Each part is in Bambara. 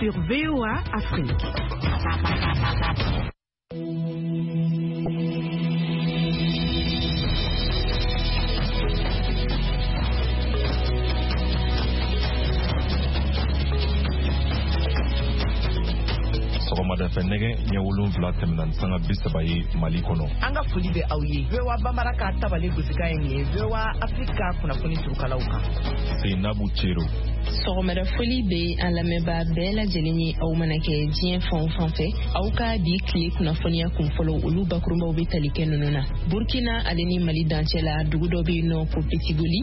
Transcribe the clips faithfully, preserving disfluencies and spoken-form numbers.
Sur V O A Afrique. Sɔgɔmada fɛ nɛgɛ ɲɛ wolonwula tɛmɛna ni sanga bi saba ye Mali kɔnɔ. An ka foli bɛ aw ye. V O A Bambara ka tabale gosikan ye nin ye. V O A Afrique ka kunnafoni surukalaw kan. Seinabu Cero. Sɔgɔmada foli bɛ an lamɛnbaa bɛɛ lajɛlen ye, aw mana kɛ diɲɛ fan o fan fɛ. Aw ka bi tile kunnafoniya kunfɔlɔ, olu bakurunbaw bɛ tali kɛ ninnu na. Burkina ale ni Mali dancɛ la, dugu dɔ bɛ yen nɔ ko Petigoli,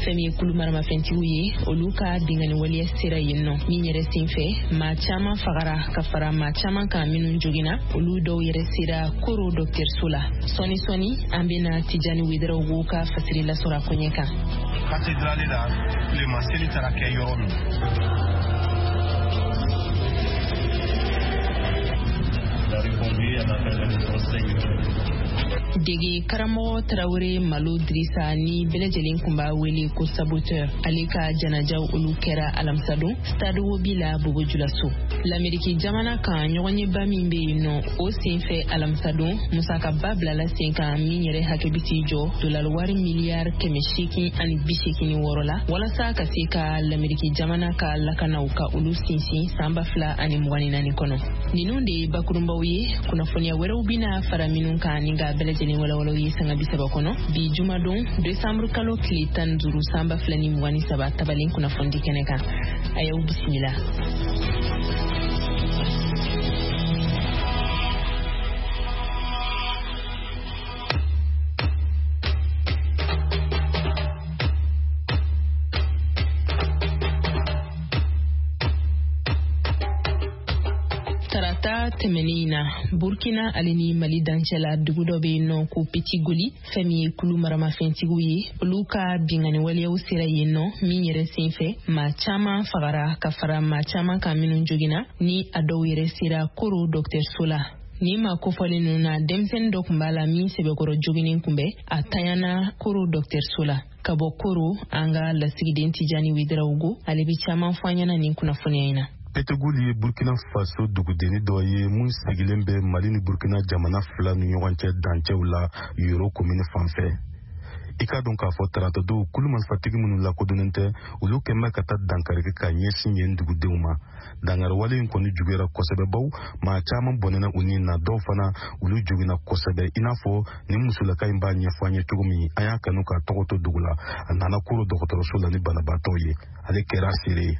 fɛn min ye kulu maramafɛntigiw ye, olu ka binkanni waleya sera yen nɔ. Min yɛrɛ senfɛ, maa caman fagara ka fara maa caman kan minnu joginna, olu dɔw yɛrɛ sera Koro dɔgɔtɔrɔso la. Sɔɔni sɔɔni an bɛna Tijani Wederawogo ka fasiri lasɔrɔ a koɲɛ kan. Katedrale la, tilema seli taara kɛ yɔrɔ min. Dege karamɔgɔ Tarawele Malo Dirisa ni bɛɛ lajɛlen kun b'a wele ko saboteur, ale ka janajaw olu kɛra alamisadon stade Wobi la Bobo Julaso. Lameriki jamana kan ɲɔgɔnyeba min bɛ yen nɔ, o senfɛ alamisadon musakaba bilala sen kan min yɛrɛ hakɛ bɛ t'i jɔ dolari wari miliyari kɛmɛ seegin ani bi seegin ni wɔɔrɔ la, walasa ka se ka Lameriki jamana ka lakanaw ka olu sinsin san ba fila ani mugan ni naani kɔnɔ. Ninnu de ye bakurunbaw ye, kunnafoniya wɛrɛw bɛna fara minnu kan ni ka bɛɛ lajɛlen walawalaw ye sanga bi saba kɔnɔ. Bi jumadon desanburu kalo tile tan ni duuru san ba fila ni mugan ni saba tabalen kunnafonidi kɛnɛ kan. A y'aw bisimila. Tarata tɛmɛnen in na, Burkina ale ni Mali dancɛ la, dugu dɔ bɛ yen nɔ ko Petigoli, fɛn min ye kulu maramafɛntigiw ye, olu ka binkanni waleyaw sera yen nɔ min yɛrɛ senfɛ maa caman fagara ka fara maa caman kan minnu joginna, ni a dɔw yɛrɛ sera Koro dɔgɔtɔrɔso la. Nin maa kofɔlen ninnu na, denmisɛnnin dɔ tun b'a la min sɛbɛkɔrɔ joginen kun bɛ, a tanyana Koro dɔgɔtɔrɔso la. Ka bɔ Koro, an ka lasigiden Tijani Wederawogo ale bɛ caman fɔ an ɲɛna nin kunnafoniya in na. Petigoli ye Burkina Faso dugudenni dɔ ye mun sigilen bɛ Mali ni Burkina jamana fila ni ɲɔgɔn cɛ dancɛw la Yoro komini fan fɛ. I k'a dɔn k'a fɔ tarata don, kulu marifatigi minnu lakodɔnnen tɛ, olu kɛn bɛ ka taa dankari kɛ ka ɲɛsin yen dugudenw ma. Dankari wale in kɔni juguyara kosɛbɛ, baw maa caman bɔnɛna u ni na, dɔw fana olu joginna kosɛbɛ. I n'a fɔ nin musolaka in b'a ɲɛfɔ an ye cogo min, an y'a kanu k'a tɔgɔ to dugu la. A nana Koro dɔgɔtɔrɔso la ni banabaatɔ ye, ale kɛra seere ye.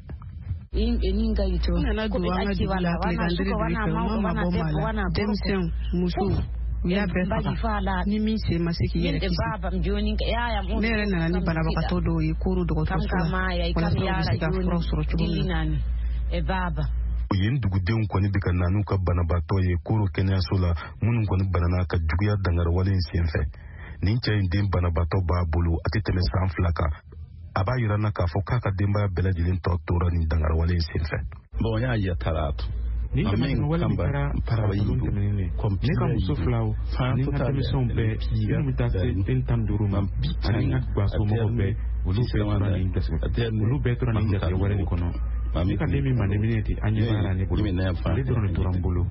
N nana don an ka dugu la tilegan diri fɛ, u ma mabɔ maa la, denmisɛnw, musow, u y'a bɛɛ faga ni min sen ma se k'i yɛrɛ kisi. Ne yɛrɛ nana ni banabagatɔ dɔw ye Koro dɔgɔtɔrɔso la walasa u bɛ se ka furaw sɔrɔ cogo min na. Yen dugudenw kɔni bɛ ka na n'u ka banabaatɔ ye Koro kɛnɛyaso la, minnu kɔni banana ka juguya dankari wale in senfɛ. Nin cɛ in den banabaatɔ b'a bolo, a tɛ tɛmɛ san fila kan. A b'a yira n na k'a fɔ k'a ka denbaya bɛɛ lajɛlen tɔ tora nin dankari wale in senfɛ. Bon, y'a yatarato. Ni damatɛmɛ min kɛra taratadon tɛmɛnen, ne ka muso filaw ani n ka denmisɛnw bɛɛ minnu bɛ taa se den tan ni duuru ma, ani n ka gasomɔgɔw bɛɛ, olu bɛɛ tora nin garisɛgɛ olu bɛɛ tora nin garisɛgɛ wɛrɛ de kɔnɔ. Ne ka den min mandeminɛ ten, an ɲɛ b'a la ne bolo, ale dɔrɔn de tora n bolo.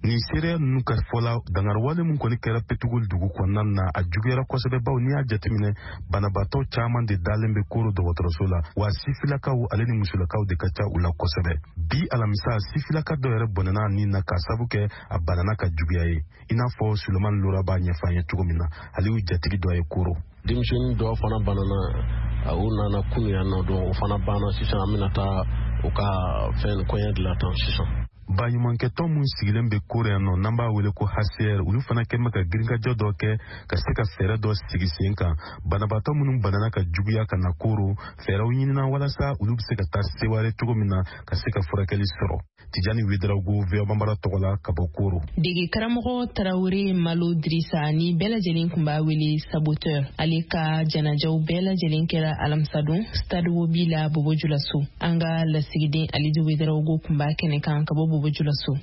Nin seereya ninnu ka fɔ la, dankari wale min kɔni kɛra Petigoli dugu kɔnɔna na, a juguyara kosɛbɛ, baw n'i y'a jateminɛ banabaatɔ caman de dalen bɛ Koro dɔgɔtɔrɔso la, wa sifilakaw ale ni musolakaw de ka ca u la kosɛbɛ. Bi alamisa, sifilaka dɔ yɛrɛ bɔnɛna a nin na k'a sabu kɛ a banana ka juguya ye, i n'a fɔ Sulemani Lora b'a ɲɛfɔ an ye cogo min na, ale y'u jatigi dɔ ye Koro. Denmisɛnnin dɔw fana banana, u nana kunu yan nɔ, donc o fana banna sisan, an bɛna taa u ka fɛn kɔɲɛ dilan tan sisan. Baɲumankɛtɔn mun sigilen bɛ Koro yan nɔ, n'an b'a wele ko H C R, olu fana kɛn bɛ ka girinkajɔ dɔ kɛ ka se ka fɛɛrɛ dɔ sigi sen kan. Banabaatɔ minnu banana ka juguya ka na Koro, fɛɛrɛw ɲinina walasa olu bɛ se ka taa seware cogo min na ka se ka furakɛli sɔrɔ. Tijani Wederawogo, V O A Bambara tɔgɔ la ka bɔ Koro. Dege karamɔgɔ Tarawele Malo Dirisa ni bɛɛ lajɛlen kun b'a wele saboteur, ale ka janajaw bɛɛ lajɛlen kɛra alamisadon stade Wobi la Bobo Julaso. An ka lasigiden Alidu Wederawogo kun b'a kɛnɛ kan ka bɔ Bobo Julaso.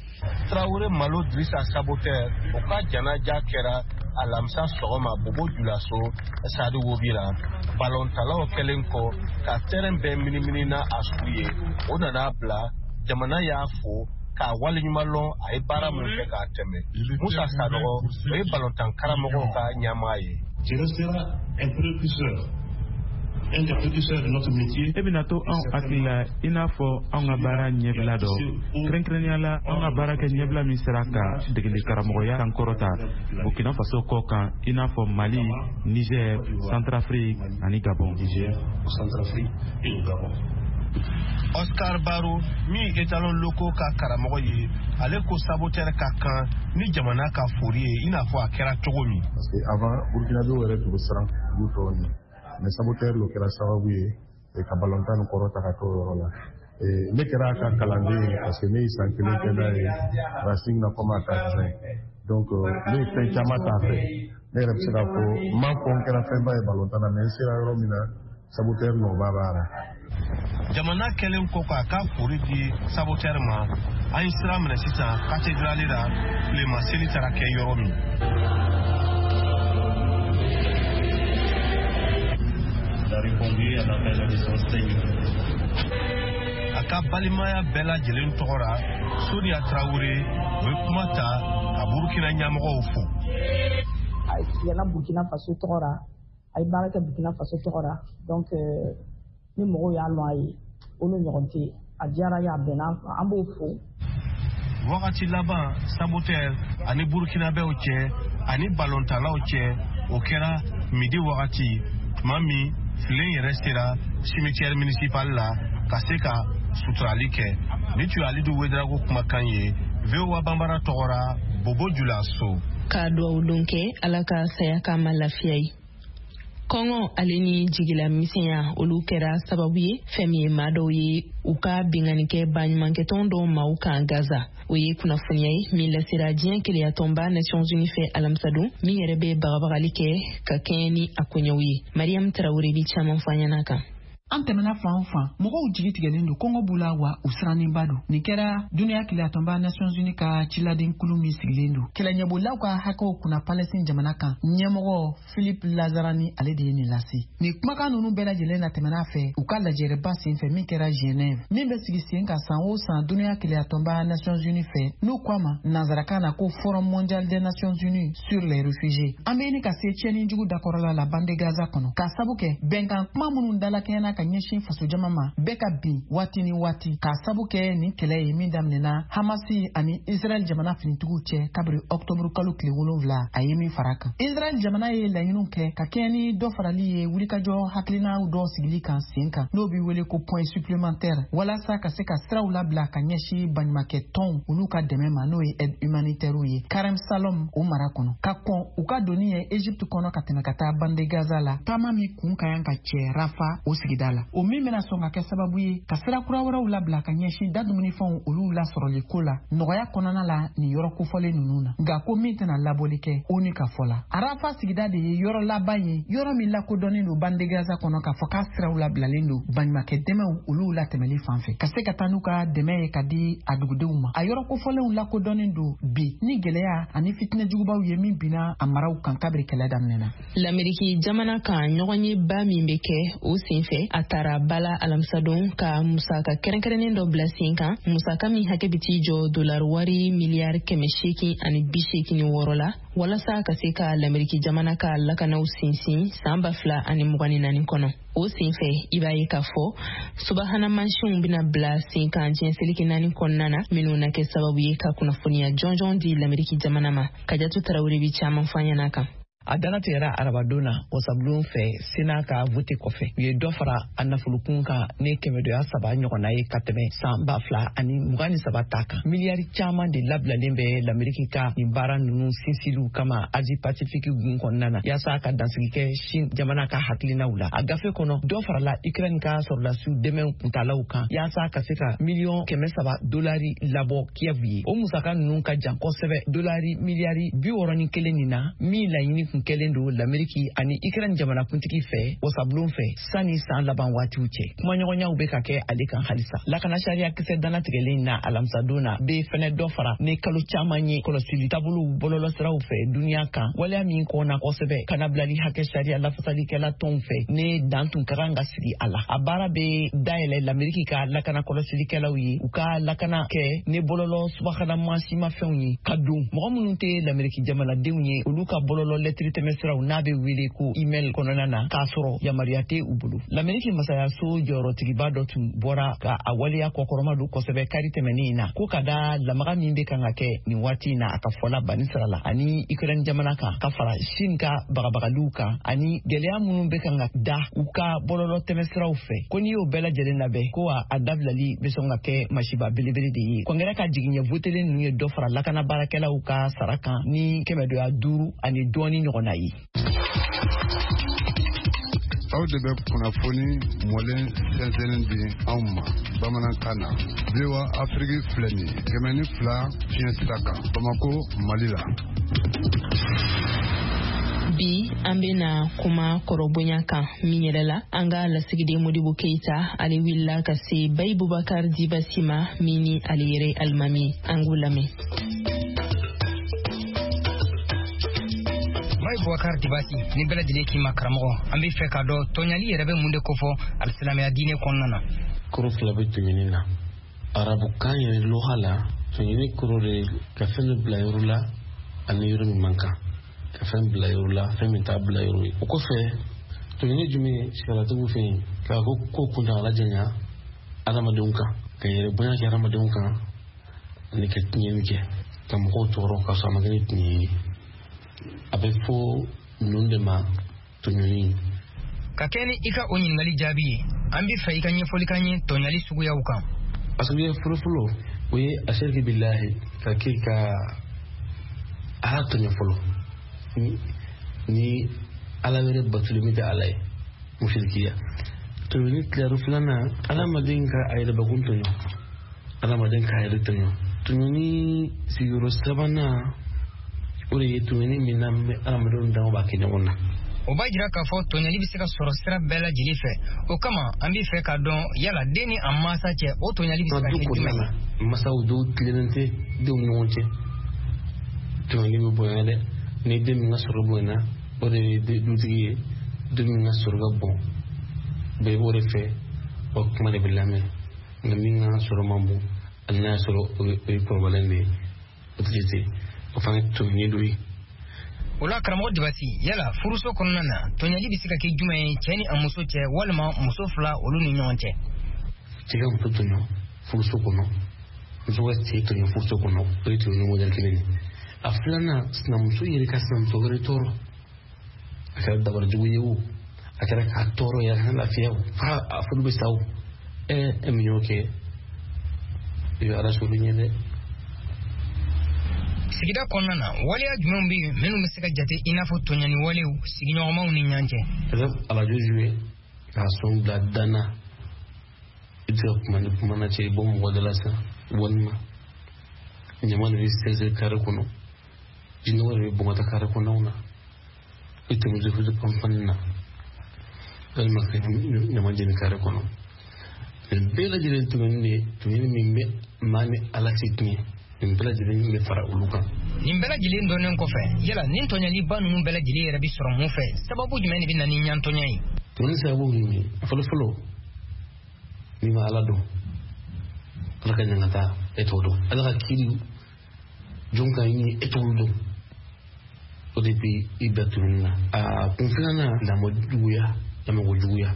Tarawele Malo Dirisa saboteur, o ka janaja kɛra alamisa sɔgɔma Bobo Julaso Sadi Wobi la. Balontalaw kɛlen kɔ ka terrain bɛɛ minimini na a su ye, o nana bila jamana y'a fo k'a waleɲuman lɔn a ye baara min kɛ k'a tɛmɛ. Musa Sanogo, o ye balontan karamɔgɔw ka ɲɛmaa ye. Tu resteras un précurseur, un des précurseurs de notre métier. E bɛna to anw hakili la i n'a fɔ anw ka baara ɲɛbila dɔ, kɛrɛnkɛrɛnnenya la anw ka baara kɛ ɲɛbila min sera ka degeli karamɔgɔya sankɔrɔta Burkina Faso kɔ kan, i n'a fɔ Mali, Niger, Centrafrique ani Gabon. Niger, Centrafrique et au Gabon. Oscar Baro, min ye étalon locaux ka karamɔgɔ ye, ale ko saboteur ka kan ni jamana ka fori ye, i n'a fɔ a kɛra cogo min. Parce que avant, Burkinabéw yɛrɛ tun bɛ siran dugu tɔw ɲɛ, mais saboteur lo kɛra sababu ye ka balontan nin kɔrɔta ka t'o yɔrɔ la. Ne kɛra a ka kalanden ye parce que ne ye san kelen kɛ n'a ye Racing na comme adjoint. Donc ne ye fɛn caman t'a fɛ. Ne yɛrɛ bɛ se k'a fɔ n m'a fɔ n kɛra fɛnba ye balontan na, mais n sera yɔrɔ min na, saboteur nɔba b'a la. Jamana kɛlen kɔ k'a ka fori di saboteur ma, an ye sira minɛ sisan cathédrale la, tilema seli taara kɛ yɔrɔ min. A ka balimaya bɛɛ lajɛlen tɔgɔ la, Sonia Traoré, o ye kuma ta ka Burukina ɲɛmɔgɔw fo. A yɛlɛnna Burkina Faso tɔgɔ la, a ye baara kɛ Burkina Faso tɔgɔ la, donc ni mɔgɔw y'a lɔn a ye, olu ɲɔgɔn tɛ yen. A diyara ye, a bɛnna, an b'o fo. Wagati laban saboteur ani Burkinabɛw cɛ ani balontalaw cɛ, o kɛra midi wagati, tuma min filen yɛrɛ sera cimetière municipal la ka se ka suturali kɛ. Ni tun ye Alidu Wedrago kumakan ye V O A Banbara tɔgɔ la, Bobo Julaso. Ka duwawu don kɛ Ala ka saya k'a ma lafiya ye. Kɔngɔ ale ni jigila misɛnya olu kɛra sababu ye fɛn min ye maa dɔw ye u ka binkanni kɛ baɲumankɛtɔn dɔw maaw kan Gaza. O ye kunnafoniya ye min lasera diɲɛ keleyatɔnba Nations Unies fɛ alamisadon, min yɛrɛ bɛ bagabagali kɛ ka kɛɲɛ ni a koɲɛw ye. Mariam Traoré bi caman fɔ an ɲɛna kan. An tɛmɛna fan o fan, mɔgɔw jigi tigɛlen don, kɔngɔ b'u la wa u sirannenba don. Nin kɛra duniya keleyatɔnba Nations Unies ka ciladenkulu min sigilen don kɛlɛɲɛbolilaw ka hakɛw kunna Palestine jamana kan, ɲɛmɔgɔ Philippe Lazarani ale de ye nin lase. Nin kumakan ninnu bɛɛ lajɛlen na tɛmɛna fɛ u ka lajɛrɛba senfɛ min kɛra Genève, min bɛ sigi sen kan san o san duniya keleyatɔnba Nations Unies fɛ, n'u ko a ma nansarakan na ko Forum mondial des Nations Unies sur les réfugiés. An bɛ ɲini ka se tiɲɛni jugu dakɔrɔla la bande Gaza kɔnɔ, k'a sabu kɛ bɛnkan kuma minnu dalakɛɲɛna ka ɲɛsin fasojama ma bɛɛ ka bin waati ni waati, k'a sabu kɛ nin kɛlɛ ye min daminɛna Hamasi ani Israɛl jamana finitigiw cɛ kabiri ɔktɔburu kalo tile wolonwula a ye min fara kan. Israɛl jamana ye laɲiniw kɛ ka kɛɲɛ ni dɔ farali ye wulikajɔ hakilinaw dɔ sigili kan sen kan, n'o bɛ wele ko point supplémentaire, walasa ka se ka siraw labila ka ɲɛsin baɲumankɛ tɔnw olu ka dɛmɛ ma, n'o ye aide humanitaire ye Karem Salom o mara kɔnɔ, ka kɔn u ka donni ye Egypte kɔnɔ ka tɛmɛ ka taa bande Gaza la, taama min kun ka kan ka cɛ Rafa o sigida la, o min bɛna sɔn ka kɛ sababu ye ka sira kura wɛrɛw labila ka ɲɛsin da dumunifɛnw olu lasɔrɔli ko la nɔgɔya kɔnɔna la nin yɔrɔ kofɔlen ninnu na. Nka ko min tɛna labɔli kɛ ONU ka fɔ la, Arafa sigida de ye yɔrɔ laban ye, yɔrɔ min lakodɔnnen don bande Gaza kɔnɔ k'a fɔ k'a siraw labilalen don baɲumankɛ dɛmɛw olu latɛmɛli fan fɛ, ka se ka taa n'u ka dɛmɛ ye ka di a dugudenw ma. A yɔrɔ kofɔlenw lakodɔnnen don bi ni gɛlɛya ani fitinɛ jugubaw ye min binna a maraw kan kabiri kɛlɛ daminɛna. Lameriki jamana kan ɲɔgɔnyeba min bɛ kɛ o senfɛ, a taara bala alamisadon ka musaka kɛrɛnkɛrɛnnen dɔ bila sen kan, musaka min hakɛ bɛ t'i jɔ dolari wari miliyari kɛmɛ seegin ani bi seegin ni wɔɔrɔ la, walasa ka se ka lameriki jamana ka lakanaw sinsin san ba fila ani mugan ni naani kɔnɔ. O senfɛ i b'a ye k'a fɔ subahana mansinw bɛna bila sen kan diɲɛ seleke naani kɔnɔna na, minnu na kɛ sababu ye ka kunnafoniya jɔnjɔn di lameriki jamana ma. Kajatu Tarawele bi caman fɔ an ɲɛna kan. A dannatigɛra arabadon na wasabulon fɛ Sena ka vote kɔfɛ, u ye dɔ fara a nafolokun kan ni kɛmɛdoya saba ɲɔgɔnna ye ka tɛmɛ san ba fila ani mugan ni saba ta kan. Miliyari caman de labilalen bɛ Lameriki ka nin baara ninnu sinsiliw kama Asie Pacifique gun kɔnɔna na, yaasa ka dansigi kɛ Chine jamana ka hakilinaw la. A gafe kɔnɔ, dɔ farala Ukraine ka sɔrɔdasiw dɛmɛ kuntalaw kan yaasa ka se ka miliyɔn kɛmɛ saba dolari labɔ Kiev ye. O musaka ninnu ka jan kosɛbɛ dolari miliyari bi wɔɔrɔ ni kelen nin na, min laɲini tun kɛlen don Lameriki ani Ukraine jamanakuntigi fɛ wasabulon fɛ sanni san laban waatiw cɛ. Kumaɲɔgɔnyaw bɛ ka kɛ ale kan halisa. Lakana sariya kisɛ dannatigɛlen na alamisadon na bɛ fɛnɛ dɔ fara ni kalo caman ye kɔlɔsili taabolow bɔlɔlɔsiraw fɛ duniya kan, waleya min kɔnna kosɛbɛ kanabilali hakɛ sariya lafasalikɛla tɔnw fɛ ne dan tun ka kan ka sigi a la. A baara bɛ dayɛlɛ Lameriki ka lakana kɔlɔsilikɛlaw ye u ka lakana kɛ ne bɔlɔlɔ subahana mansimafɛnw ye ka don mɔgɔ minnu tɛ Lameriki jamanadenw ye olu ka bɔlɔlɔ lɛtiri tɛmɛsiraw n'a bɛ wele ko email kɔnɔna na k'a sɔrɔ yamaruya tɛ u bolo. Lameriki masayaso jɔyɔrɔtigiba dɔ tun bɔra ka a waleya kɔkɔrɔma don kosɛbɛ kari tɛmɛnen in na ko ka da lamaga min bɛ kan ka kɛ nin waati in na a ka fɔla banni sira la ani Ukraine jamana kan ka fara Chine ka bagabagaliw kan ani gɛlɛya minnu bɛ kan ka da u ka bɔlɔlɔ tɛmɛsiraw fɛ ko n'i y'o bɛɛ lajɛlen labɛn ko a dabilali bɛ sɔn ka kɛ masiba belebele de ye. Kɔngɛrɛ ka jigiɲɛ votelen ninnu ye dɔ fara lakana baarakɛlaw ka sara kan ni kɛmɛdoya duuru ani dɔɔni ɲɔgɔnna ye. Aw de bɛ kunnafoni mɔlen sɛnsɛnnen di anw ma bamanankan na. V O A Afrique filɛ nin ye kɛmɛ ni fila fiɲɛ sira kan Bamako, Mali la. Bi an bena kuma kɔrɔbonya kan min yɛrɛ la an ka lasigiden Modibo Keita ale wulila ka se Bayi Bubakar Dibasi ma min ni ale yɛrɛ alimami, an k'u lamɛn. Bayi Bubakar Dibasi, ni bɛɛ lajɛlen k'i ma karamɔgɔ, an bɛ fɛ k'a dɔn tɔɲali yɛrɛ bɛ mun de kofɔ alisilamɛya diinɛ kɔnɔna na. Kɔrɔ fila bɛ tɔɲɔni na. Arabukan yɛrɛ lɔha la, tɔɲɔni kɔrɔ de ka fɛn dɔ bila yɔrɔ la ani yɔrɔ min man kan. Ka fɛn bila yɔrɔ la fɛn min t'a bila yɔrɔ ye. O kɔfɛ tɔɲɔni jumɛn ye sariatigiw fɛ yen k'a ko ko kuntagala janya adamadenw kan, ka yɛrɛ bonya kɛ adamadenw kan ani ka tiɲɛni kɛ ka mɔgɔw tɔɔrɔ ka sɔrɔ a ma kɛ ni tiɲɛ ye. A bɛ fɔ ninnu de ma tɔɲɔni. Ka kɛ ni i ka o ɲininkali jaabi ye, an bɛ fɛ i ka ɲɛfɔli k'an ye tɔɲali suguyaw kan. A suguya fɔlɔfɔlɔ o ye asiriki bilahi ka kɛ ka ala tɔɲɔ fɔlɔ ni ala wɛrɛ batuli min tɛ ala ye, musirikiya. Tɔɲɔni tilayɔrɔ filanan, adamaden ka a yɛrɛ bakun tɔɲɔ, adamaden k'a yɛrɛ tɔɲɔ. Tɔɲɔni sigiyɔrɔ sabanan o de ye tɔɲɔni min n'an bɛ adamadenw danw b'a kɛ ɲɔgɔn na. O b'a jira k'a fɔ tɔɲɔli bɛ se ka sɔrɔ sira bɛɛ lajɛlen fɛ. O kama an bɛ fɛ k'a dɔn yala den ni a mansa cɛ o tɔɲɔli bɛ se ka kɛ jumɛn ye. Masaw dɔw tilennen tɛ denw ni ɲɔgɔn cɛ, tɔɲɔli bɛ bonya dɛ. Ni den min ka sɔrɔ bonyana o de ye dutigi ye, den min ka sɔrɔ ka bon bɛɛ b'o de fɛ, o kuma de bɛ lamɛn. Nka min ka sɔrɔ man bon hali n'a y'a sɔrɔ o ye kɔrɔbalen de ye, o tɛ jate, o fana ye tɔɲɔni dɔ ye. O la karamɔgɔ Dibasi, yala furuso kɔnɔna na tɔɲɔli bɛ se ka kɛ jumɛn ye cɛ ni a muso cɛ walima muso fila olu ni ɲɔgɔn cɛ? Cɛ ka muso tɔɲɔ furuso kɔnɔ, muso ka cɛ tɔɲɔ furuso kɔnɔ, o ye tɔɲɔni modɛli kelen ye. A filanan, sinamuso yɛrɛ ka sinamuso wɛrɛ tɔɔrɔ, a kɛra dabarajugu ye o, a kɛra k'a tɔɔrɔ yɛrɛ a kana lafiya o, f'a a furu bɛ sa o, ɛ e min y'o kɛ i bɛ ala sɔrɔ ɲɛ dɛ. Sigida kɔnɔna na waleya jumɛnw bɛ yen minnu bɛ se ka jate i n'a fɔ tɔɲɔni walew sigiɲɔgɔnmaw ni ɲɔgɔn cɛ? Arajo joué k'a sɔn bila dan na, i bɛ se ka kuma ni kuma na cɛ i bɔ mɔgɔ da la sisan, walima ɲama de bɛ sɛnsɛn kare kɔnɔ, jinɔgɔ de bɛ bɔn ka taa kare kɔnɔnaw na, i tɛmɛ fufu panpanni na, walima ka ɲama jeni kare kɔnɔ. Nin bɛɛ lajɛlen tɔɲɔni de ye tɔɲɔni min bɛ maa ni ala cɛ tiɲɛ. Nin bɛɛ lajɛlen bɛ fara olu kan. Nin bɛɛ lajɛlen dɔnnen kɔfɛ, yala nin tɔɲɔliba ninnu bɛɛ lajɛlen yɛrɛ bɛ sɔrɔ mun fɛ? Sababu jumɛn de bɛ na ni ɲantɔɲɔ ye? Tɔɲɔni sababu ye mun ye? A fɔlɔ fɔlɔ, n'i ma ala dɔn, ala ka ɲangata e t'o dɔn, ala ka kiiri jɔn ka ɲini e t'olu dɔn, o de bɛ i bɛɛ tɔɲɔni na. A kun filanan, lamɔ juguya, lamɔko juguya.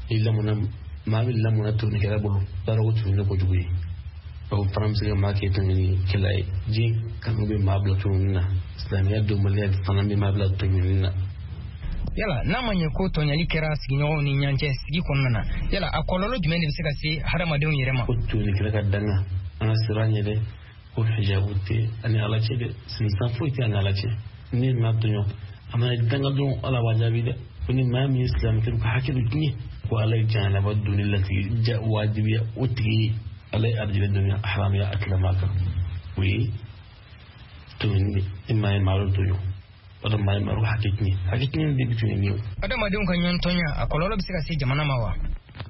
Ni lamɔna, maa bɛ lamɔna tɔɲɔnikɛla bolo, baara ko tɔɲɔni kojugu ye. O fana bɛ se ka maa kɛ tɔɲɔnikɛla ye. Diɲɛ kanu bɛ maa bila tɔɲɔni na, silamɛya dɔnbaliya fana bɛ maa bila tɔɲɔni na. Yala n'a ma ɲɛ ko tɔɲɔli kɛra sigiɲɔgɔnw ni ɲɔgɔn cɛ sigi kɔnɔna na, yala a kɔlɔlɔ jumɛn de bɛ se ka se hadamadenw yɛrɛ ma? Ko tɔɲɔnikɛla ka danga, an ka siran ɲɛ dɛ, ko hijabu tɛ ani ala cɛ dɛ, sinsan foyi tɛ ani ala cɛ. Ni maa tɔɲɔ, a mana danga dɔrɔn ala b'a jaabi dɛ. Ko ni maa min ye silamɛ ka hakɛ dɔ tiɲɛ, ko ala ye jahanaba donni latigi ja wajibiya o tigi ye. Ala ye arijinɛ donni haramuya a tilama kan. O ye tɔɲɔni, i maa ye maa dɔ tɔɲɔ, O maa ye hakɛ tiɲɛ hakɛ tiɲɛ de bɛ tun ye nin ye. Adamadenw ka ɲɔgɔntɔnya a kɔlɔlɔ bɛ se ka se jamana ma wa?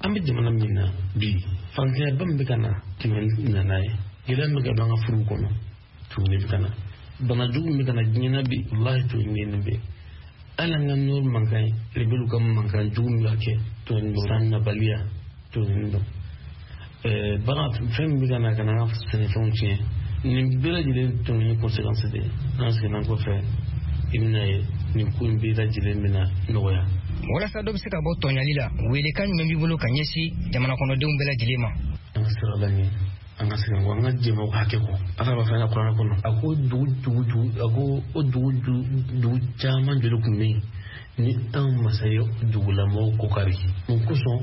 An bɛ jamana min na bi, fantanyaba min bɛ ka na tɛmɛ nana ye, gɛlɛya min bɛ ka don an ka furuw kɔnɔ tuguni bɛ ka na, bana jugu min bɛ ka na diɲɛ na bi, walahi tuguni nin bɛ. Hali an ka nɔrɔ mankan ye, rebelles ka mankan jugu min bɛ ka kɛ tuguni don, san nabaliya tuguni don. Ɛɛ bagan fɛn min bɛ ka na ka na an ka sɛnɛfɛnw tiɲɛ, nin bɛɛ lajɛlen tun ye conséquence de ye. N'an seginna kɔfɛ, i bɛna ye nin ko in bɛɛ lajɛlen bɛna nɔgɔya. Walasa dɔ bɛ se ka bɔ tɔɲali la, welekan jumɛn b'i bolo ka ɲɛsin jamana kɔnɔdenw bɛɛ lajɛlen ma? An ka sira la ɲɛ, an ka segin kɔ, an ka jɛmaw hakɛ kɔ. Ala b'a fɔ an ka kuranɛ kɔnɔ, a ko dugu dugu dugu, a ko o dugu dugu caman joli tun bɛ yen ni an masa ye dugulamɔgɔw ko kari. Mun kosɔn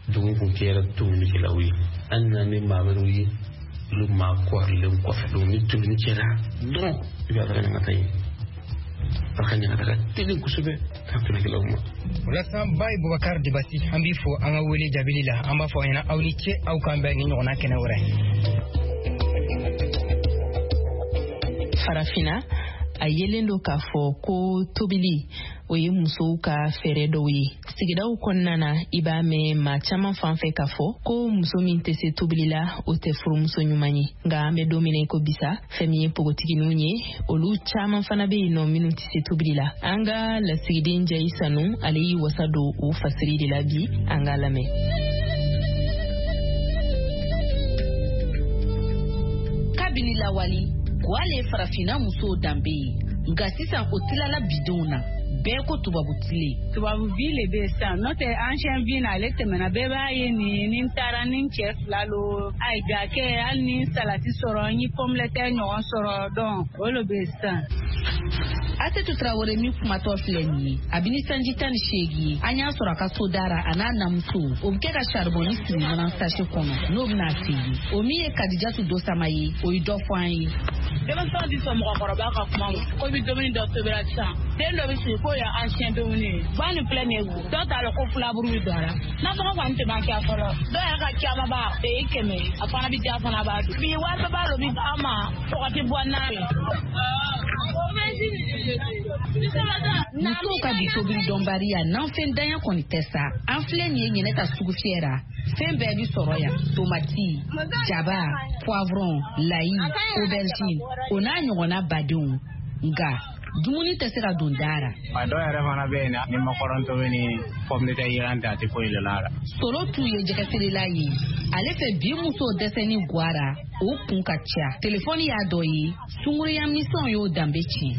dugu kun kɛra tumunikɛlaw ye, an nana ni maa wɛrɛw ye, olu maa kɔrilen kɔfɛ. Donc ni tumuni kɛra dɔrɔn, i b'a taga ɲaga yen. A ka ɲaga ka teli kosɛbɛ ka tumunikɛlaw ma. Walasa Baye Bubakar Dibasi, an b'i fo an ka wele jaabili la. An b'a fɔ aw ɲɛna aw ni ce, aw k'an bɛn ni ɲɔgɔnna kɛnɛ wɛrɛ. Farafinna a yelen don k'a fɔ ko tobili o ye musow ka fɛɛrɛ dɔw ye. Sigidaw kɔnɔna na, i b'a mɛn maa caman fan fɛ k'a fɔ ko muso min tɛ se tobili la, o tɛ furumuso ɲuman ye. Nka an bɛ don min na i ko bisa, fɛn min ye npogotigininw ye, olu caman fana bɛ yen nɔ minnu tɛ se tobili la. An ka lasigiden Jayi Sanu, ale y'i wasa don o fasiri de la bi, an k'a lamɛn. Kabini lawali, gwale ye farafinna musow danbe ye, nka sisan o tilala bidenw na. Bɛɛ ko tubabu tile. Tubabu bi le bɛ sisan, n'o tɛ ancien bi na ale tɛmɛna, bɛɛ b'a ye nin ni n taara ni n cɛ fila lo, ayi ga kɛ hali ni salati sɔrɔ, n ye pomme de terre ɲɔgɔn sɔrɔ, donc o le bɛ sisan. Asetu Tarawele min kumatɔ filɛ nin ye, a bɛ ni sanji tan ni seegin ye, an y'a sɔrɔ a ka so dara a n'a namuso, o bɛ kɛ ka saribɔni siri mana sachet kɔnɔ n'o bɛna feere. O min ye Kadijatu Dosama ye, o ye dɔ fɔ an ye. Denmisɛnw tɛ sɔn mɔgɔkɔrɔba ka kuma ma, ko i bɛ dumuni dɔ tobira sisan, den dɔ bɛ sigi k'o ye ancien dumuni ye, ba nin filɛ nin ye, dɔw t'a dɔn ko filaburu bɛ don a la, nasɔngɔ kɔni tɛ ban kɛ fɔlɔ, dɔw yɛrɛ ka caman ba o ye kɛmɛ ye, a fana bɛ diya fana b'a dun. Bi wari bɛɛ b'a dɔn bi an ma tɔgɔ tɛ bɔ n'a ye. Musow ka bi tobili dɔnbaliya nanfɛndanya kɔni tɛ sa. An filɛ nin ye ɲinɛ ta sugu fiyɛ la, fɛn bɛɛ bi sɔrɔ yan, tomati, jaba, poivron, layi, aubergine, o n'a ɲɔgɔnna badenw. Nka dumuni tɛ se ka don da la. A dɔw yɛrɛ fana bɛ yen, ni makɔrɔni tobi ni pomme de terre yiran tɛ, a tɛ foyi de la. Soro t'u ye jɛgɛfeerela ye, ale fɛ bi musow dɛsɛni gwara, o kun ka ca. Telefɔni y'a dɔ ye, sunkuruya misɛnw y'o danbe tiɲɛ.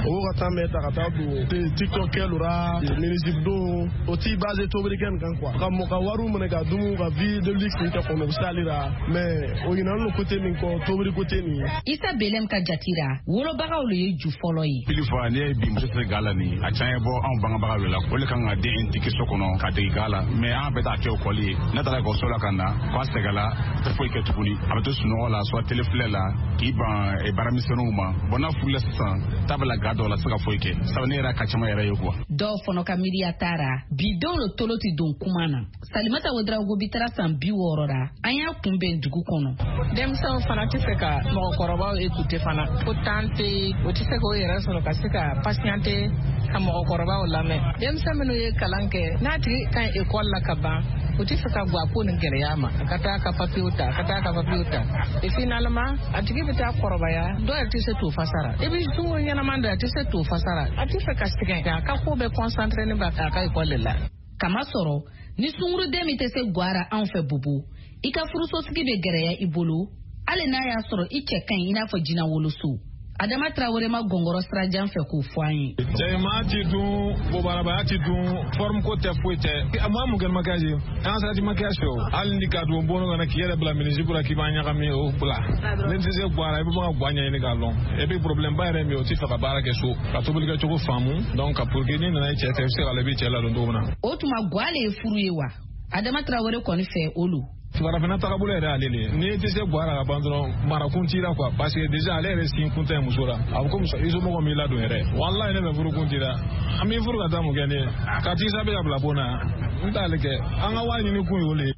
O ka taa mɛn ta ka taa don TikTok kɛlu ra minisibe don o t'i basé tobili kɛ nin kan quoi, ka mɔ ka wariw minɛ ka dumu ka vie de luxe nin kɛ kɔnɔ, o bɛ se ale la, mais o ɲinɛna no côté min kɔ, tobili côté nin. Isa Belem ka jati ra, wolobagaw le ye ju fɔlɔ ye. Pili fɔ ne ye bi muso tɛ ga la nin, a caman bɔ anw bangebagaw de la, o le kan ka den intigi so kɔnɔ ka dege ga la, mais an bɛ taa kɛ ekɔli ye, n'a taara ekɔliso la ka na k'a sɛgɛnla, a tɛ foyi kɛ tuguni, a bɛ to sunɔgɔ la soit télé filɛ la k'i ban baaramisɛnninw ma. Bon n'a furula sisan, ta bɛ la ga dɔw la, se ka foyi kɛ, sabu ne yɛrɛ ka caman yɛrɛ ye quoi. Dɔw fana ka miiriya taara, bi denw le tolo tɛ don kuma na. Salimata Ouedraogo bi taara san bi wɔɔrɔ la, an y'a kunbɛn dugu kɔnɔ. Denmisɛnw fana tɛ fɛ ka mɔgɔkɔrɔbaw écouter fana, ko temps tɛ yen, o tɛ se k'o yɛrɛ sɔrɔ ka se ka patienter ka mɔgɔkɔrɔbaw lamɛn. Denmisɛn minnu ye kalan kɛ, n'a tigi ka ɲi école la ka ban, o tɛ fɛ ka bɔ a ko nin gɛlɛya ma, a ka taa ka papiyew ta, a ka taa ka papiyew ta. Et finalement, a tigi bɛ taa kɔrɔbaya, dɔw yɛrɛ tɛ se t'o fasara. I bɛ sunkuru ɲɛnama dɔ, a tɛ se t'o fasara, a tɛ fɛ ka sɛgɛn, a ka ko bɛɛ concentré ne b'a a ka école de la. Kamasɔrɔ ni sunkuruden min tɛ se gwara anw fɛ Bobo, i ka furusosigi bɛ gɛrɛya i bolo, hali n'a y'a sɔrɔ i cɛ ka ɲi i n'a fɔ jinɛ woloso. Adama Traoré ma gɔngɔrɔ sirajan fɛ k'o fɔ an ye. Cɛmaa ti dun, bobarabaya ti dun, forme ko tɛ foyi tɛ. Maa mun kɛ maquillage ye? An sira ti maquillage fɛ o. Hali ni ka don bon kɔnɔ k'i yɛrɛ bila minisibu la k'i b'a ɲagami o bila. Ni tɛ se guwara, i bɛ bɔ ka guwa ɲɛɲini k'a lɔn. Et puis problème ba yɛrɛ min ye, o tɛ fɛ ka baara kɛ so. Ka tobilikɛcogo faamu, donc ka pour que n'i nana i cɛ fɛ, i bɛ se k'a lɔn i b'i cɛ ladon cogo min na. O tuma guwa le ye furu ye wa? Adama Traoré kɔni fɛ o lo. Farafinna tagabolo yɛrɛ ale le ye. N'i tɛ se guwara ka ban dɔrɔn, marakun t'i la quoi, parce que déjà ale yɛrɛ sin kun tɛ muso la. A bɛ komi i somɔgɔw m'i ladon yɛrɛ. Walahi ne bɛ furu kun t'i la. An b'i furu ka taa mun kɛ ne ye? Ka t'i sabe ka bila bon na. N t'ale kɛ. An ka wari ɲini kun y'o le ye.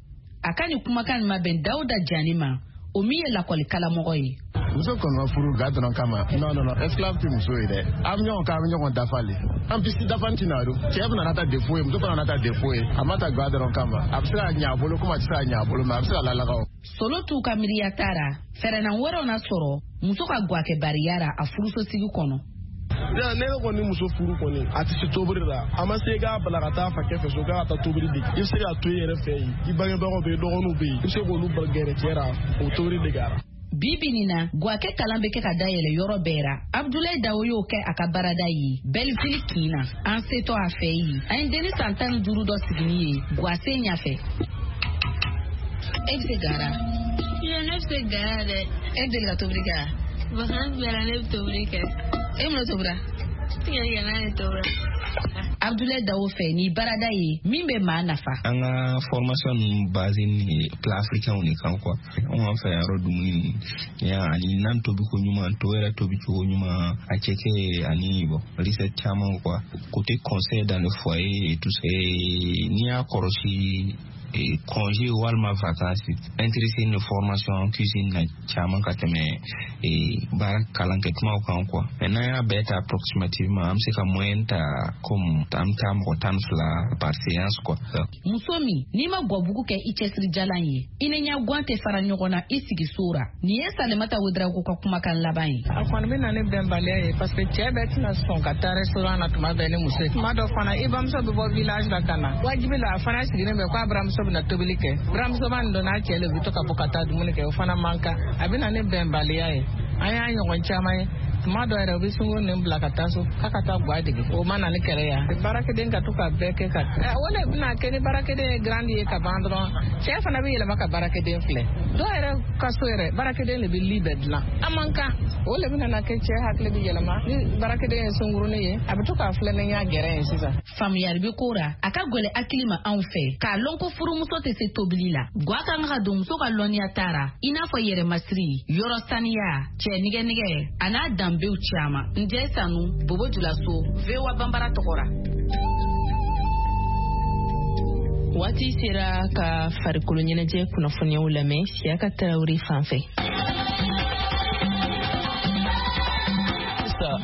A ka nin kumakan nin ma bɛn Dawuda Jani ma, o min ye lakɔli karamɔgɔ ye. Muso kɔni ma furu ga dɔrɔn kama. Non non non, esclave tɛ muso ye dɛ. An bɛ ɲɔgɔn kan, an bɛ ɲɔgɔn dafa le. An bisi dafa tɛna don. Cɛ fana n'a ta défaut ye, muso fana n'a ta défaut ye. A ma ta ga dɔrɔn kama. A bɛ se ka ɲɛ a bolo komi a tɛ se ka ɲɛ a bolo, mais a bɛ se ka lalaga o. Solo t'u ka miiriya tara, fɛɛrɛnan wɛrɛw na sɔrɔ muso ka gwakɛbariya ra a furusosigi kɔnɔ. Ne yɛrɛ kɔni muso furu kɔni a tɛ se tobili la, a ma se k'a bila ka taa fakɛ fɛ so k'a ka taa tobili dege. I bɛ se k'a to i yɛrɛ fɛ yen, i bangebagaw bɛ yen, i dɔgɔninw bɛ yen, i bɛ se k'olu gɛrɛ cɛ la o tobili dege a la. Bi bi nin na, gwakɛ kalan bɛ kɛ ka dayɛlɛ yɔrɔ bɛɛ ra. Abdoulaye Dawo y'o kɛ a ka baarada ye Belleville kin na. An setɔ a fɛ yen, an ye denni san tan ni duuru dɔ sigini ye gwasen ɲɛfɛ. E bɛ se gara? Iyo, ne bɛ se gara dɛ. E bɛ deli ka tobili kɛ wa? Vacances bɛɛ la ne bɛ tobili kɛ. E mun tobira? Tigɛdigɛna de tobira. Abdoulaye Dawo fɛ ni baarada ye min bɛ maa nafa. An ka formation ninnu basé ni plat africain de kan quoi. Anw b'an fɛ yɔrɔ dumuni ninnu ani nan tobi ko ɲuman, to yɛrɛ tobi cogo ɲuman, a cɛkɛ ani bon recette caman quoi. Côté conseil dans le foyer et tout ça. N'i y'a kɔlɔsi congé walima vacances, intéressé ni formation en cuisine na caman ka tɛmɛ baara kalan kɛ kumaw kan quoi. Mais n'an y'a bɛɛ ta approximativement, an bɛ se ka moyenne ta comme an bɛ taa mɔgɔ tan ni fila par séance quoi. Muso min n'i ma gwabugu kɛ i cɛsirijalan ye, i ni ɲɛ tɛ fara ɲɔgɔn na i sigi so ra. Nin ye Salimata Ouedraogo ka kumakan laban ye. A kɔni bɛ na ni bɛnbaliya ye parce que cɛ bɛɛ tɛna sɔn ka taa restaurant na tuma bɛɛ ni muso ye. Tuma dɔ fana i bamuso bɛ bɔ village la ka na, wajibi la a fana sigilen bɛ k'a buramuso bɛna tobili kɛ. Buramuso b'a dɔn n'a cɛ le bɛ to ka bɔ ka taa dumuni kɛ, o fana man kan. A bɛ na ni bɛnbaliya ye. An y'a ɲɔgɔn caman ye. Tuma dɔ yɛrɛ u bɛ sunkuru nin bila ka taa so k'a ka taa gwa dege, o ma na ni kɛlɛ ye. Baarakɛden ka to ka bɛɛ kɛ ka o de bɛna kɛ ni baarakɛden ye grande ye ka ban dɔrɔn, cɛ fana bɛ yɛlɛma ka baarakɛden filɛ. Dɔw yɛrɛ ka so yɛrɛ baarakɛden de bɛ li bɛɛ dilan, a man kan. O de bɛna na kɛ cɛ hakili bɛ yɛlɛma ni baarakɛden ye sunkurunin ye, a bɛ to k'a filɛ ni ɲɛ gɛrɛ ye sisan. Faamuyali bɛ ko ra, a ka gɛlɛn hakili ma anw fɛ k'a lɔn ko furumuso tɛ se tobili la. Gwa kan ka don muso ka lɔnniya taara, i n'a fɔ yɛrɛmasiri, yɔrɔ saniya, cɛ nɛgɛnɛgɛ a n'a danbew caman. Njɛ Sanu, Bobo Julaso, V O A Banbara tɔgɔ ra. Waati sera ka farikolo ɲɛnajɛ kunnafoniyaw lamɛn Siyaka Tarawele fan fɛ.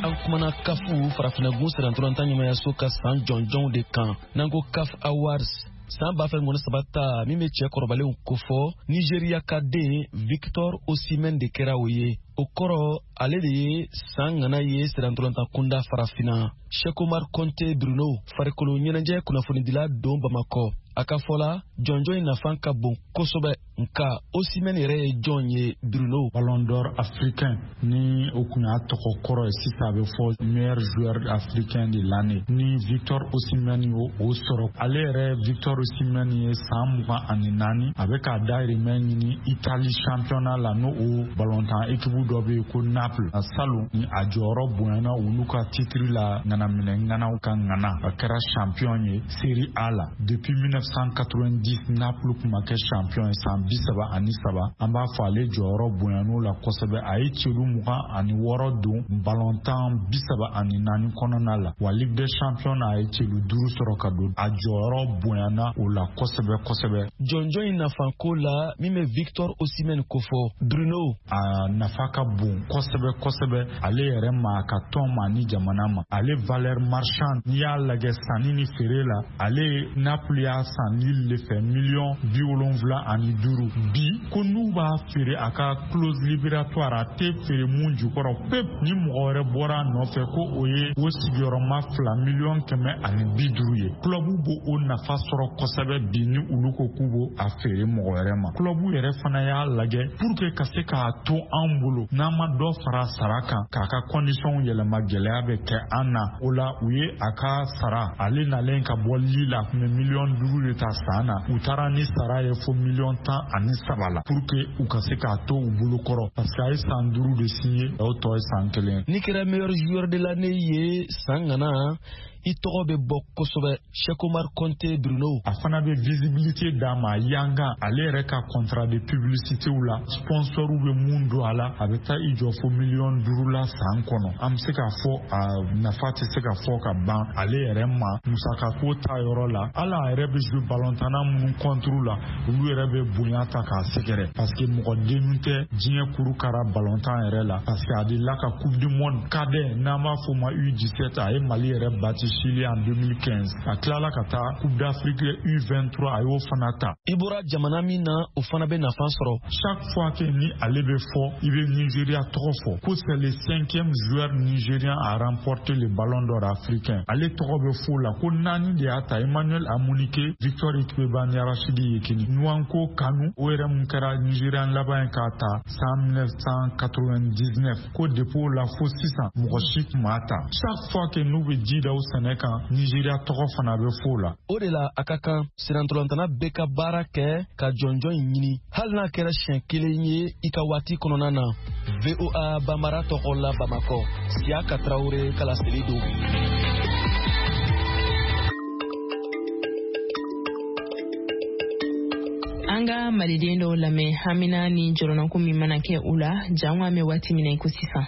An kumana kafu farafinna-gun sirantɔlɔntan ɲɛmayaso ka san jɔnjɔnw de kan n'an ko CAF Awards san ba fila ni saba ta min bɛ cɛ kɔrɔbalenw kofɔ, Nigeria ka den Victor Osimhen de kɛra o ye. O kɔrɔ ale de ye san ŋana ye sirantɔlɔntan kunda farafinna. Cheikh Omar Konte Bruno, farikolo ɲɛnajɛ kunnafonidila don Bamakɔ, a ka fɔ la jɔnjɔn in nafa ka bon kosɛbɛ, nka Osimhen yɛrɛ ye jɔn ye Bruno? Ballon d'or africain ni o kun y'a tɔgɔ kɔrɔ ye, sisan a bɛ fɔ meilleur joueur africain de l'année ni Victor Osimhen y'o o sɔrɔ. Ale yɛrɛ Victor Osimhen ye san mugan ani naani, a bɛ k'a dahirimɛ ɲini Italie championnat la, n'o o ballontan équipe dɔ bɛ yen ko Naples. A salon ni a jɔyɔrɔ bonyana olu ka titre la ŋanaminɛ ŋanaw ka ŋana, a kɛra champion ye Serie A la depuis mille neuf cent quatre-vingt-dix. Naples kun ma kɛ champion ye san bi saba ani saba. An b'a fɔ ale jɔyɔrɔ bonyan'o la kosɛbɛ. A ye celu mugan ani wɔɔrɔ don balontan bi saba ani naani kɔnɔna la, wa Ligue des champions na a ye celu duuru sɔrɔ ka don. A jɔyɔrɔ bonyana o la kosɛbɛ kosɛbɛ. Jɔnjɔn in nafanko la min bɛ Victor Osimhen kofɔ Bruno, a nafa ka bon kosɛbɛ kosɛbɛ ale yɛrɛ ma, a ka tɔn ma ni jamana ma. Ale valeur marchande n'i y'a lajɛ sanni ni feere la, ale Naples y'a san Lille de fɛ miliyɔn bi wolonwula ani duuru. Bi ko n'u b'a feere a ka clause libératoire, a tɛ feere mun jukɔrɔ pep, ni mɔgɔ wɛrɛ bɔra a nɔfɛ ko o ye o sigiyɔrɔma fila miliyɔn kɛmɛ ani bi duuru ye. Club b'o o nafa sɔrɔ kosɛbɛ bi ni olu ko k'u b'o a feere mɔgɔ wɛrɛ ma. Club yɛrɛ fana y'a lajɛ pour que ka se k'a to an bolo, n'an ma dɔ fara sara kan k'a ka condition yɛlɛma, gɛlɛya bɛ kɛ an na. O la u ye a ka sara, ale nalen ka bɔ Lille la, a tun bɛ miliyɔn duuru de ta san na, u taara ni sara ye fo miliyɔn tan ani saba la pour que u ka se k'a to u bolo kɔrɔ, parce que a ye san duuru de signé, o tɔ ye san kelen. N'i kɛra meilleur joueur de l'année ye san ŋana, i tɔgɔ bɛ bɔ kosɛbɛ. Cheikh Omar Conte Bruno. A fana bɛ visibilité d'a ma yanga ale yɛrɛ ka contrat de publicité la, sponsor bɛ mun don a la, a bɛ taa i jɔ fo miliyɔn duuru la san kɔnɔ. An bɛ se k'a fɔ a nafa tɛ se ka fɔ ka ban ale yɛrɛ ma musakako ta yɔrɔ la. Hali a yɛrɛ bɛ jouer ballontanna minnu contre la, olu yɛrɛ bɛ bonya ta k'a sɛgɛrɛ parce que mɔgɔ dennu tɛ diɲɛ kuru kara ballontan yɛrɛ la, parce que a delila ka coupe du monde cadet n'an b'a fɔ o ma U dix-sept, a ye Mali yɛrɛ bati Chili en deux mille quinze. A tilala ka taa coupe d'Afrique U vingt-trois, a y'o fana ta. I bɔra jamana min na, o fana bɛ nafa sɔrɔ. Chaque fois que ni ale bɛ fɔ, i bɛ Nigeria tɔgɔ fɔ ko c'est le cinquième joueur nigérien à remporter le ballon d'or africain. Ale tɔgɔ bɛ fɔ o la ko naani de y'a ta: Emmanuel Amunike, Victor Ikpeba ni Rachidi Yekini. Nwankwo Kanu, o yɛrɛ mun kɛra Nigérian laban ye k'a ta san mille neuf cent quatre-vingt-dix-neuf, ko depuis o la fo sisan mɔgɔ si tun m'a ta. Chaque fois que n'u bɛ ji da o sɛnɛ kan, Nigeria tɔgɔ fana bɛ fɔ o la. O de la a ka kan sirantolantana bɛɛ ka baara kɛ ka jɔnjɔn in ɲini, hali n'a kɛra siɲɛ kelen ye i ka waati kɔnɔna na. V O A Bambara tɔgɔ la Bamakɔ, Siaka Traoré ka laseli don. An ka maliden dɔw lamɛn hamina ni jɔrɔnako min mana kɛ u la jango an bɛ waati min na i ko sisan.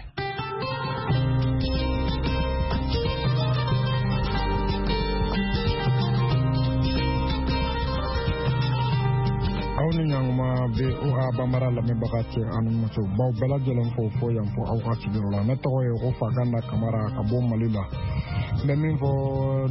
Aw ni ɲankuma V O A Bambara lamɛnbaga cɛ ani muso, baw bɛɛ lajɛlen fo fo yan fo aw ka sigiyɔrɔ la. Ne tɔgɔ ye ko Faganda Kamara ka bɔ Mali la. N bɛ min fɔ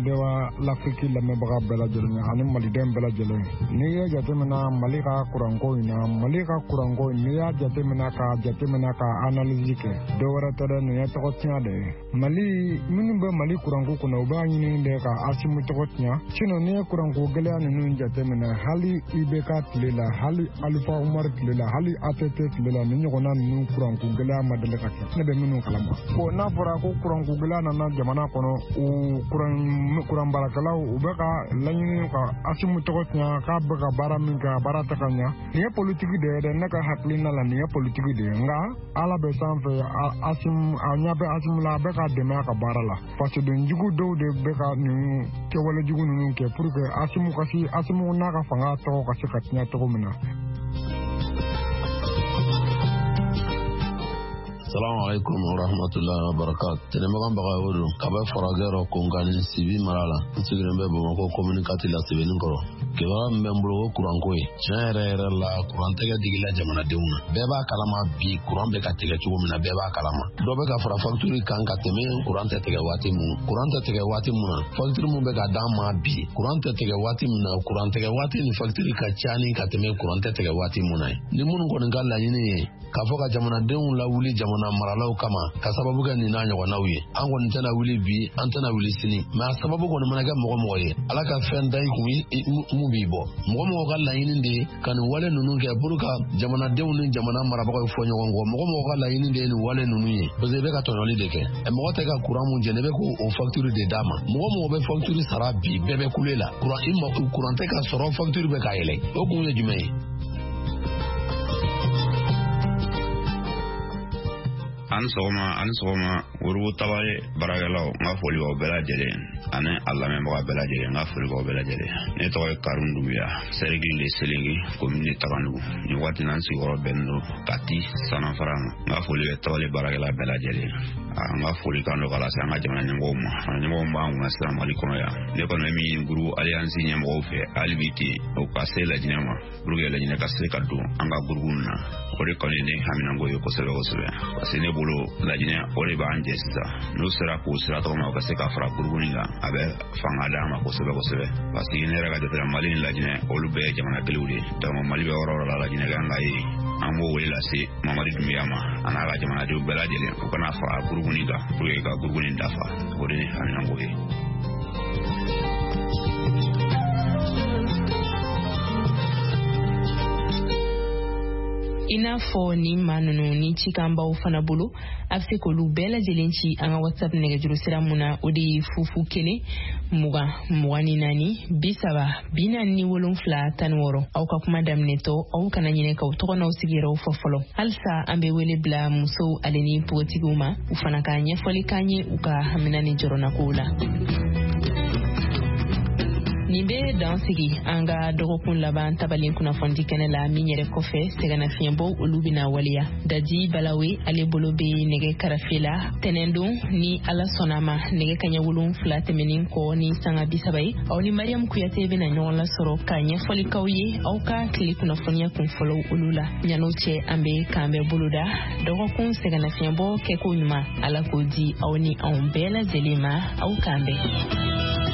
Dewa l'Afrique lamɛnbaga bɛɛ lajɛlen ye ani maliden bɛɛ lajɛlen. N'i ye jateminɛ Mali ka kuranko in na, Mali ka kuranko in n'i y'a jateminɛ ka jateminɛ ka analyse kɛ, dɔ wɛrɛ tɛ dɛ, nin ye tɔgɔ tiɲɛ de ye. Mali minnu bɛ Mali kuranko kɔnɔ, u b'a ɲini de ka Asimu tɔgɔ tiɲɛ. Sinon n'i ye kuranko gɛlɛya ninnu jateminɛ, hali I B K tile la, hali Alpha Umar tile la, hali A T T tile la, nin ɲɔgɔnna ninnu kuranko gɛlɛya ma deli ka kɛ. Ne bɛ minnu kalama. Bon, n'a fɔra ko kuranko gɛlɛya nana jamana kɔnɔ, o kuran kuran baarakɛlaw u bɛ ka laɲini ka Asimu tɔgɔ tiɲɛ k'a bɛ ka baara min kɛ, a baara tɛ ka ɲa. Nin ye politiki de ye dɛ, ne ka hakilina la nin ye politiki de ye. Nka Ala bɛ sanfɛ, Asimu a ɲɛ bɛ Asimu la, a bɛ ka dɛmɛ a ka baara la. Fasoden jugu dɔw de bɛ ka nin kɛwale jugu ninnu kɛ pour que Asimu ka se Asimu n'a ka fanga tɔgɔ ka se ka tiɲɛ cogo min na. Salamu alaikum wa rahmatullahi wa barakatuh. Tɛnɛmagan Bagayogo don ka bɛ farajɛ rɔ Konkani Sibi mara la. N sigilen bɛ Bamakɔ commune quatre la Sebenikɔrɔ. Kibaruya min bɛ n bolo o kuranko ye. Tiɲɛ yɛrɛ yɛrɛ la kuran tɛgɛ digila jamanadenw na. Bɛɛ b'a kalama bi kuran bɛ ka tigɛ cogo min na, bɛɛ b'a kalama. Dɔ bɛ ka fara facture kan ka tɛmɛ kuran tɛ tigɛ waati mun. Kuran tɛ tigɛ waati mun na, facture mun bɛ ka d'an ma bi, kuran tɛ tigɛ waati min na, kuran tigɛ waati ni facture ka ca ni ka tɛmɛ kuran tɛ tigɛ waati mun na ye. Ni minnu kɔni ka laɲini ye k'a fɔ ka jamanadenw lawuli jamana maralaw kama ka sababu kɛ nin n'a ɲɔgɔnnaw ye, an kɔni tɛna wuli bi, an tɛna wuli sini. Mais a sababu kɔni mana kɛ mɔgɔ mɔgɔ ye, Ala ka fɛn da i kun mun b'i bɔ. Mɔgɔ mɔgɔ ka laɲini de ye ka nin wale ninnu kɛ pour ka jamanadenw ni jamana marabagaw fɔ ɲɔgɔn kɔ. Mɔgɔ mɔgɔ ka laɲini de ye nin wale ninnu ye, parce que i bɛ ka tɔɲɔli de kɛ. Mɔgɔ tɛ ka kuran mun jɛn, i bɛ k'o facture de d'a ma. Mɔgɔ mɔgɔ bɛ facture sara bi, bɛɛ bɛ kule la. Kuran i ma kuran tɛ ka sɔrɔ, facture bɛ ka yɛlɛ. O kun ye jumɛn ye? Ani sɔgɔma, ani sɔgɔma, Worobo Tabale baarakɛlaw, n ka foli b'aw bɛɛ lajɛlen ani a lamɛnbaga bɛɛ lajɛlen, n ka foli b'aw bɛɛ lajɛlen. Ne tɔgɔ ye Karim Dunbiya, cercle de Selenge, commune de Taganugu. Nin waati na n sigiyɔrɔ bɛnnen don Kati Sanafara ma. N ka foli bɛ Tabale baarakɛla bɛɛ lajɛlen. N ka foli kan don ka lase an ka jamana ɲɛmɔgɔw ma. Jamana ɲɛmɔgɔw b'an kunna sisan Mali kɔnɔ yan. Ne kɔni bɛ min ɲini groupe Alliance ɲɛmɔgɔw fɛ hali bi ten, o ka se Lajinɛ ma pour que Lajinɛ ka se ka don an ka groupe nin na. O de kɔni ye ne haminanko ye kosɛbɛ kosɛbɛ. Parce que ne bolo Lajinɛ o de b'an jɛ sisan. N'u sera k'o sira tɔgɔ ma, u ka se ka fara groupe nin kan, a bɛ fanga d'an ma kosɛbɛ kosɛbɛ. Parce que ne yɛrɛ ka jate la, Mali ni Lajinɛ olu bɛɛ ye jamana kelenw de ye. Donc Mali bɛ yɔrɔ o yɔrɔ la, Lajinɛ kan ka ye. An b'o wele lase Mamadi Dunbiya ma a n'a ka jamanadenw bɛɛ lajɛlen, u kana fara groupe nin kan pour que ka groupe nin dafa. O de ye haminanko ye. I n'a fɔ nin maa ninnu ni cikan b'aw fana bolo, a bɛ se k'olu bɛɛ lajɛlen ci an ka WhatsApp nɛgɛjuru sira mun na, o de ye fufu kelen mugan mugan ni naani bi saba bi naani ni wolonfila tan ni wɔɔrɔ. Aw ka kuma daminɛtɔ, aw kana ɲinɛ k'aw tɔgɔ n'aw sigiyɔrɔw fɔ fɔlɔ. Halisa an bɛ wele bila musow ale ni npogotigiw ma, u fana ka ɲɛfɔli k'an ye u ka hamina ni jɔrɔnakow la. Nin bɛ dan sigi an ka dɔgɔkun laban tabalen kunnafonidi kɛnɛ la min yɛrɛ kɔfɛ sɛgɛnnafiɲɛbɔw olu bɛna waleya. Daji Balawe ale bolo bɛ nɛgɛ karafe la tɛnɛndon ni Ala sɔnna ma nɛgɛ kaɲɛ wolonfila tɛmɛnen kɔ ni sanga bi saba ye. Aw ni Mariam Kuyate bɛna ɲɔgɔn lasɔrɔ ka ɲɛfɔli k'aw ye aw ka tile kunnafoniya kun fɔlɔw olu la. Ɲan'o cɛ an bɛ k'an bɛɛ boloda dɔgɔkun sɛgɛnnafiɲɛbɔ kɛko ɲuman Ala k'o di aw ni anw bɛɛ lajɛlen ma. Aw k'an bɛn.